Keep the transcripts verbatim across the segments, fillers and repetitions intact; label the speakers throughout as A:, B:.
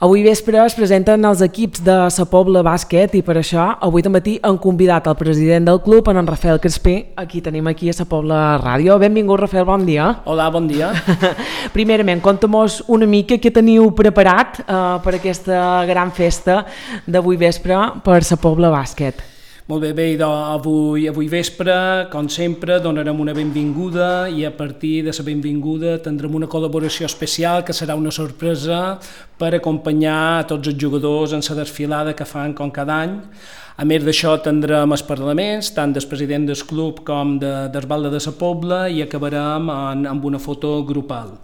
A: Avui vespre es presenten els equips de Sa Pobla Bàsquet i per això avui al matí han convidat el president del club, en Rafael Crespí. Aquí tenim aquí a Sa Pobla Ràdio. Benvingut, Rafael, bon dia.
B: Hola, bon dia.
A: Primerament, conta'm-nos una mica què teniu preparat eh, per aquesta gran festa d'avui vespre per Sa Pobla Bàsquet.
B: Molt bé, bé, avui, avui vespre, com sempre, donarem una benvinguda i a partir de la benvinguda tindrem una col·laboració especial que serà una sorpresa per acompanyar a tots els jugadors en la desfilada que fan com cada any. A més d'això tindrem els parlaments, tant del president del club com de, del Balde de Sa Pobla, i acabarem en, amb una foto grupal.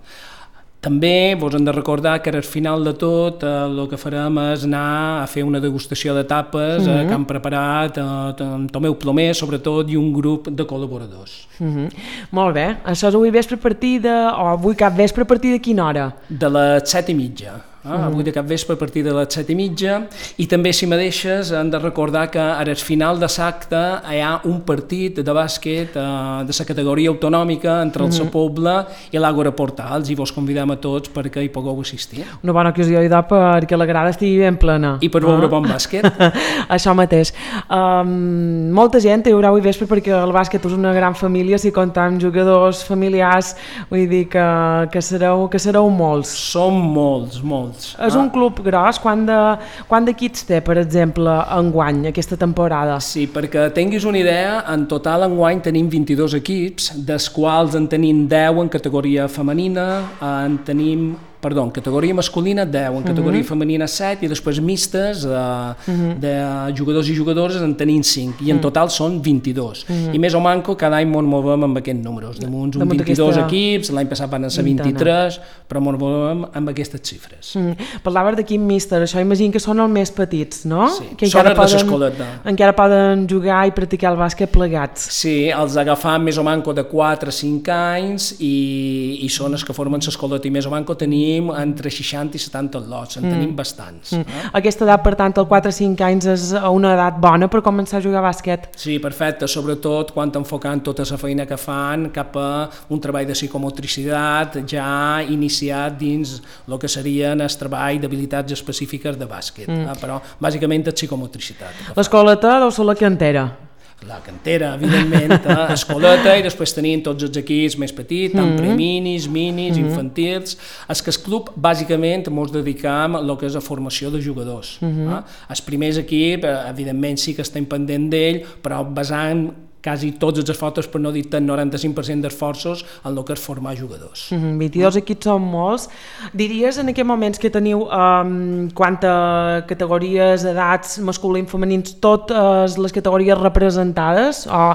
B: També vos hem de recordar que al final de tot eh, el que farem és anar a fer una degustació de tapes mm-hmm. eh, que han preparat eh, Tomeu Plomer, sobretot, i un grup de col·laboradors.
A: Mm-hmm. Molt bé. Això és avui vespre a partir de... o avui cap vespre a partir de quina hora?
B: De les set i mitja. Ah, avui de cap vespre a partir de les set i mitja, i també, si me deixes, hem de recordar que al final de l'acte hi ha un partit de bàsquet eh, de la categoria autonòmica entre el Sa Pobla i l'Àgora Portals, i vos convidem a tots perquè hi pugueu assistir.
A: Una bona ocasió idò perquè la grada estigui ben plena.
B: I per veure ah. bon bàsquet.
A: Això mateix. Um, molta gent hi haurà avui vespre perquè el bàsquet és una gran família, si comptem jugadors familiars, vull dir que, que, sereu, que sereu molts.
B: Som molts, molts.
A: És un club gros. Quant de, quant d'equips té, per exemple, enguany, aquesta temporada?
B: Sí, perquè tinguis una idea, en total enguany tenim vint-i-dos equips, dels quals en tenim deu en categoria femenina, en tenim... perdó, en categoria masculina deu, en categoria uh-huh. femenina set, i després mistes de, uh-huh. de jugadors i jugadores en tenim cinc, i en total són vint-i-dos. Uh-huh. I més o manco cada any ens movem amb aquests números. Damunt uns vint-i-dos aquesta... equips, l'any passat van ser vint-i-tres, però ens movem amb aquestes xifres.
A: Uh-huh. Parlaves d'equip míster, això imagino que són els més petits, no?
B: Sí,
A: que
B: són els de l'escoleta.
A: Encara poden jugar i practicar el bàsquet plegats.
B: Sí, els agafam més o manco de quatre a cinc anys i, i són els que formen l'escoleta, i més o manco tenim entre seixanta i setanta lots, en mm. tenim bastants. Mm. Eh?
A: Aquesta edat, per tant, els quatre a cinc anys és una edat bona per començar a jugar a bàsquet?
B: Sí, perfecte, sobretot quan enfocant tota la feina que fan cap a un treball de psicomotricitat ja iniciat dins el que serien el treball d'habilitats específiques de bàsquet, mm. eh? Però bàsicament és psicomotricitat.
A: L'escoleta deu ser la cantera.
B: La cantera, evidentment, eh? Escoleta, i després tenim tots els equips més petits, tant mm-hmm. preminis, minis, mm-hmm. infantils. És que el club, bàsicament, ens dedicam a el que és la formació de jugadors. Mm-hmm. eh? El primers equip, evidentment, sí que estem pendent d'ell, però basant quasi tots els esforços, per no dir el noranta-cinc per cent d'esforços, en el que és formar jugadors.
A: Mm-hmm. vint-i-dos equips són molts. Diries en aquests moments que teniu um, quantes categories, edats, masculins, femenins, totes les categories representades? O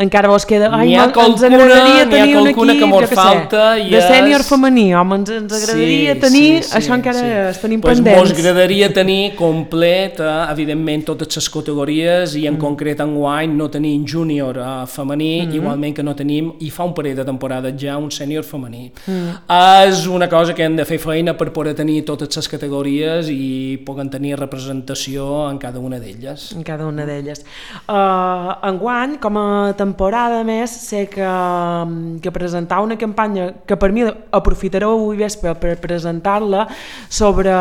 A: encara vos queda...
B: Ai, ha ens agradaria tenir un equip, que mos falta,
A: de és... sènior femení, home, ens, ens agradaria sí, tenir... Sí, sí, això encara sí. es tenim
B: pues
A: pendents.
B: Mos agradaria tenir complet, eh, evidentment, totes les categories, i en mm. concret enguany no tenim júnior Uh, femení, mm-hmm. igualment que no tenim, i fa un parell de temporades ja, un sènior femení. Mm. És una cosa que hem de fer feina per poder tenir totes les categories i puguen tenir representació en cada una d'elles.
A: En cada una d'elles. Uh, enguany, com a temporada més, sé que, que presentar una campanya que per mi aprofitareu avui vespre per presentar-la sobre,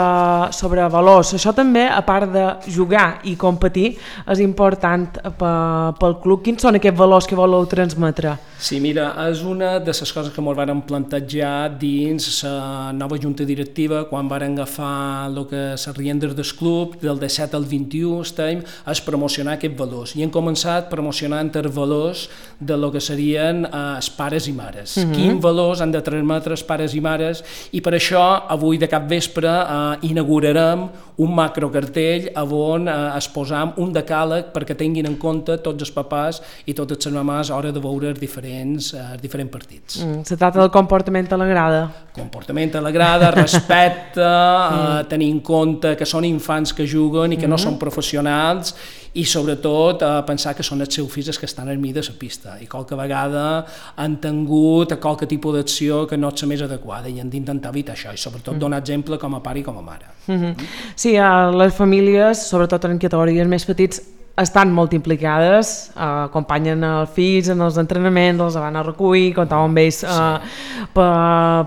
A: sobre valors. Això també, a part de jugar i competir, és important pel club. Quins són aquests valors que voleu transmetre?
B: Sí, mira, és una de les coses que ens vàrem plantejar dins la nova junta directiva quan vàrem agafar el que les riendes del club, del disset al vint-i-u estem, és promocionar aquests valors. I hem començat promocionant els valors de lo que serien eh, els pares i mares. Mm-hmm. Quins valors han de transmetre els pares i mares, i per això avui de cap vespre eh, inaugurarem un macrocartell on eh, exposam un decàleg perquè tinguin en compte tots els papàs i totes les mamàs a l'hora de veure els diferents, eh, els diferents partits.
A: Mm, se tracta del comportament a la grada.
B: Comportament a la grada, respecte, mm. eh, tenir en compte que són infants que juguen i que mm-hmm. no són professionals, i sobretot eh, pensar que són els seus fills que estan al mig de la pista, i qualque vegada han tingut qualque tipus d'acció que no és la més adequada, i hem d'intentar evitar això, i sobretot mm. donar exemple com a pare i com a mare.
A: Mm-hmm. Sí, a les famílies, sobretot en categories més petits, estan molt implicades, eh, acompanyen els fills en els entrenaments, els van a recollir, comptaven amb ells eh, sí. per,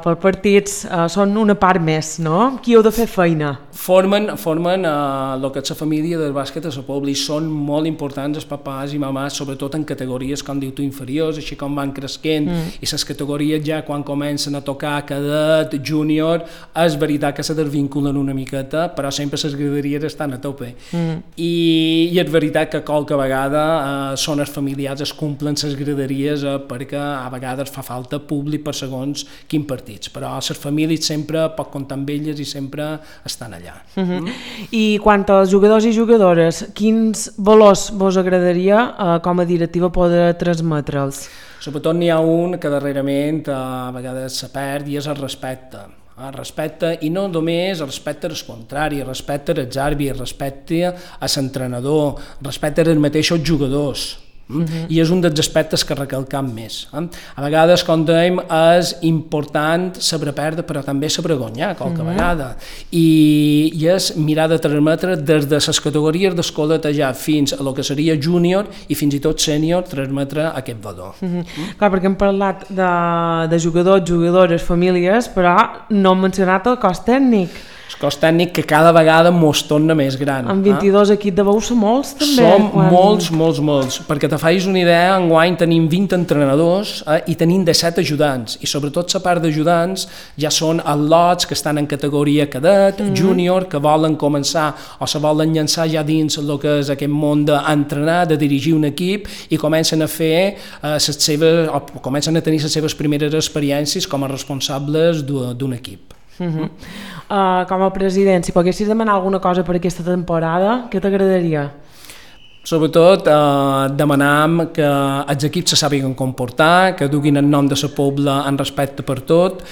A: per partits, eh, són una part més, no? Qui heu de fer feina?
B: Formen, formen eh, el que és la família del bàsquet a la Pobla i són molt importants els papàs i mamàs, sobretot en categories, com diu tu, inferiors, així com van cresquent, mm. i les categories ja quan comencen a tocar cadet, júnior, és veritat que se desvinculen una miqueta, però sempre les graderies estan a tope. Mm. I, I és veritat que qualque vegada eh, són els familiars, es cumplen les graderies eh, perquè a vegades fa falta públic per segons quins partits, però les famílies sempre pot comptar amb elles i sempre estan allà.
A: Uh-huh. mm. I quant als jugadors i jugadores, quins valors vos agradaria eh, com a directiva poder transmetre'ls?
B: Sobretot n'hi ha un que darrerament eh, a vegades se perd i és el respecte. El respecte, i no només el respecte als contraris, el respecte als àrbitres, el respecte a l'entrenador, el respecte als mateixos jugadors. Uh-huh. I és un dels aspectes que recalcam més. Eh? A vegades, com dèiem, és important saber perdre, però també saber guanyar qualque uh-huh. vegada. I, I és mirar de transmetre des de les categories d'escoleta ja fins a lo que seria júnior i fins i tot sènior, transmetre aquest valor.
A: Uh-huh. Uh-huh. Clar, perquè hem parlat de, de jugadors, jugadores, famílies, però no hem mencionat el cos tècnic.
B: El cos tècnic que cada vegada mos torna més gran.
A: Amb vint-i-dos eh? equips de bous són molts, també.
B: Som quan... molts, molts, molts. Perquè te facis una idea, enguany tenim vint entrenadors eh, i tenim disset ajudants. I sobretot la part d'ajudants ja són els lots que estan en categoria cadet, mm-hmm. júnior, que volen començar o se volen llançar ja dins el que és aquest món d'entrenar, de dirigir un equip i comencen a fer eh, les seves, o comencen a tenir les seves primeres experiències com a responsables d'un equip.
A: Uh-huh. Uh, com a president, si poguessis demanar alguna cosa per aquesta temporada, què t'agradaria?
B: Sobretot eh, demanam que els equips se sàpiguen comportar, que duguin el nom de la Pobla en respecte per tot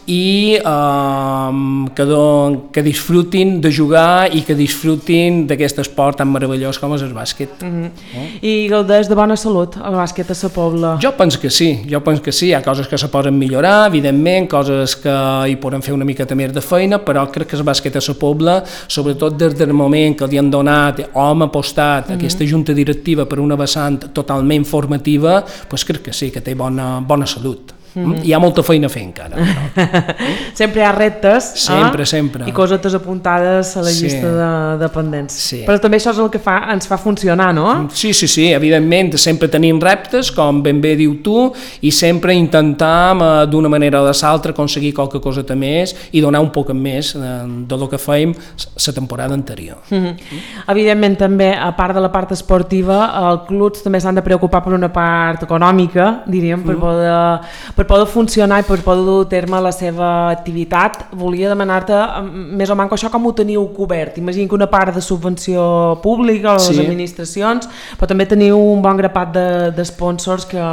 B: i eh, que, don, que disfrutin de jugar i que disfrutin d'aquest esport tan meravellós com és el bàsquet. Mm-hmm. eh?
A: I gaudeix de bona salut el bàsquet a la Pobla?
B: Jo penso que sí, jo penso que sí. Hi ha coses que se poden millorar, evidentment, coses que hi poden fer una miqueta més de feina, però crec que el bàsquet a la Pobla, sobretot des del moment que li han donat o hem apostat mm-hmm. aquesta junta directiva per una vessant totalment formativa, doncs crec que sí, que té bona, bona salut. Mm-hmm. Hi ha molta feina a fer encara. Però.
A: Sempre hi ha reptes
B: sempre,
A: eh?
B: sempre.
A: I cosetes apuntades a la sí. llista de dependents. Sí. Però també això és el que fa, ens fa funcionar, no?
B: Sí, sí, sí, evidentment, sempre tenim reptes, com ben bé diu tu, i sempre intentam eh, d'una manera o de l'altra aconseguir qualque coseta més i donar un poc més eh, de lo que fèiem la temporada anterior.
A: Mm-hmm. Evidentment també, a part de la part esportiva, els clubs també s'han de preocupar per una part econòmica, diríem, per mm. poder... Per poder funcionar i per poder dur a terme la seva activitat. Volia demanar-te més o menys això com ho teniu cobert. Imagino que una part de subvenció pública a les sí. administracions, però també teniu un bon grapat de, de sponsors que,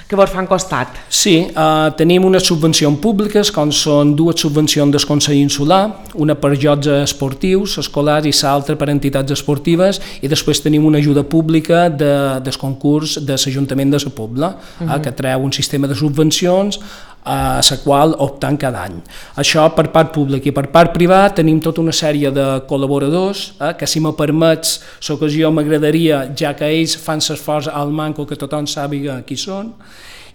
A: que vos fan costat.
B: Sí, eh, tenim unes subvencions públiques, com són dues subvencions del Consell Insular, una per jocs esportius, escolars, i l'altra per entitats esportives, i després tenim una ajuda pública de, del concurs de l'Ajuntament de la Pobla, uh-huh. eh, que treu un sistema de subvencions a la qual opten cada any. Això per part pública, i per part privada tenim tota una sèrie de col·laboradors eh, que, si me permets l'ocasió, m'agradaria, ja que ells fan l'esforç al manco que tothom sàpiga qui són,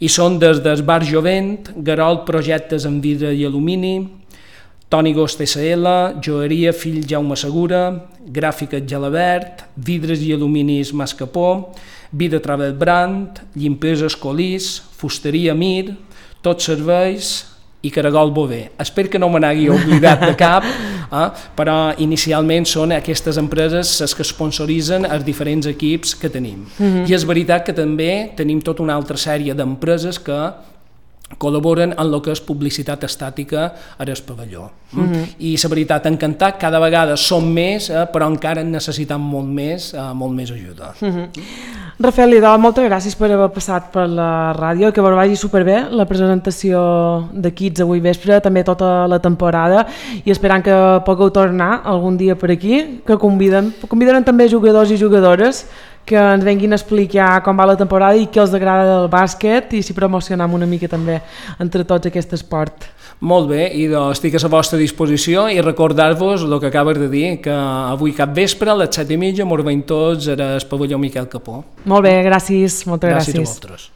B: i són des del Bar Jovent, Garol Projectes en Vidre i Alumini, Toni Gost S L, Joeria Fill Jaume Segura, Gràfiques Gelabert, Vidres i Aluminis Mascapó, Vida Travel Brand, Llimpesa Escolís, Fusteria Mir, Tots Serveis i Caragol Bové. Espero que no me n'hagi oblidat de cap, eh? però inicialment són aquestes empreses les que sponsoritzen els diferents equips que tenim. Mm-hmm. I és veritat que també tenim tota una altra sèrie d'empreses que col·laboren en el que és publicitat estàtica a el pavelló. Mm-hmm. I la veritat, encantat, cada vegada som més, eh, però encara en necessitem molt més, eh, molt més ajuda.
A: Mm-hmm. Rafael Lidó, moltes gràcies per haver passat per la ràdio, que vos vagi superbé la presentació de Kids avui vespre, també tota la temporada, i esperant que pugueu tornar algun dia per aquí, que conviden, convidaran també jugadors i jugadores que ens venguin a explicar com va la temporada i què els agrada del bàsquet i si promocionam una mica també entre tots aquest esport.
B: Molt bé, i doncs estic a la vostra disposició i recordar-vos el que acabes de dir, que avui cap vespre a les set i mitja mos veiem tots al pavelló Miquel Capó.
A: Molt bé, gràcies, moltes gràcies.
B: Gràcies a vosaltres.